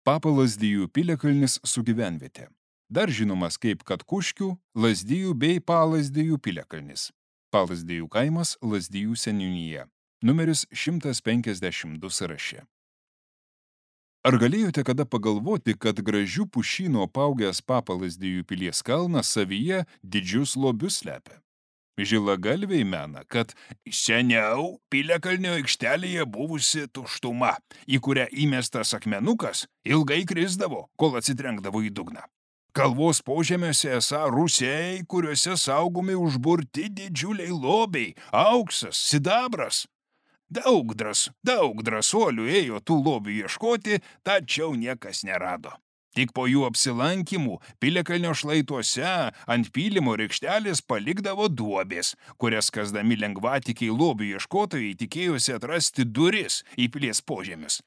Papa Lazdijų piliakalnis su gyvenvietė. Dar žinomas kaip Katkuškių, Lazdijų bei Palazdijų piliakalnis. Palazdijų kaimas, Lazdijų seniūnija. Numeris 152 sąraše. Ar galėjote kada pagalvoti, kad gražių pušynų apaugęs Papa Lazdijų pilies kalnas savyje didžius lobius slepia? Žilagalviai mena, kad seniau piliakalnio aikštelėje buvusi tuštuma, į kurią įmestas akmenukas, ilgai krisdavo, kol atsitrenkdavo į dugną. Kalvos požemiuose esą rūsiai, kuriuose saugomi užburti didžiuliai lobiai, auksas, sidabras. Daug drąsuolių ėjo tų lobių ieškoti, tačiau niekas nerado. Tik po jų apsilankimų piliakalnio šlaituose ant pylimo rykštelės palikdavo duobės, kurias kasdami lengvatikiai lobių ieškotojai tikėjosi atrasti duris į pilies požemius.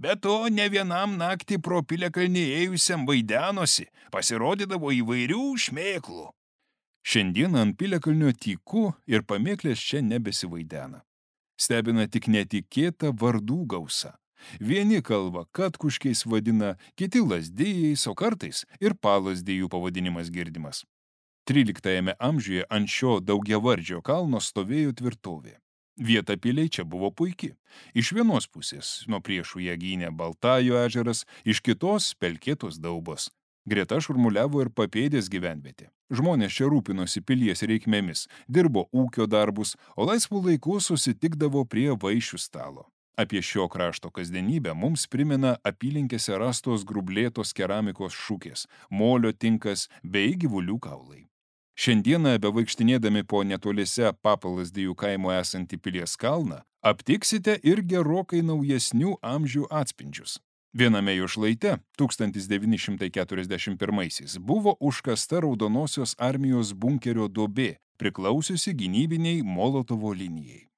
Be to, ne vienam naktį pro piliakalnį ėjusiam vaidenosi, pasirodydavo įvairių šmėklų. Šiandien ant piliakalnio tyku ir pamėklės čia nebesivaidena. Stebina tik netikėta vardų gausa. Vieni kalba Katkuškiais vadina, kiti Lazdijais, o kartais ir Palazdijų pavadinimas girdimas. 13 amžiuje ant šio daugiavardžio kalno stovėjo tvirtovė. Vieta piliai čia buvo puiki. Iš vienos pusės nuo priešų ją gynė Baltajo ežeras, iš kitos pelkėtos daubos. Greta šurmuliavo ir Papėdės gyvenvietė. Žmonės čia rūpinosi pilies reikmėmis, dirbo ūkio darbus, o laisvų laikų susitikdavo prie vaišių stalo. Apie šio krašto kasdienybę mums primena apylinkėse rastos grublėtos keramikos šukės, molio tinkas bei gyvulių kaulai. Šiandieną, bevaikštinėdami po netoliese Papa Lazdijų kaimo esantį pilies kalną, aptiksite ir gerokai naujesnių amžių atspindžius. Viename jo šlaite 1941 buvo užkasta Raudonosios armijos bunkerio duobė, priklausiusi gynybiniai Molotovo linijai.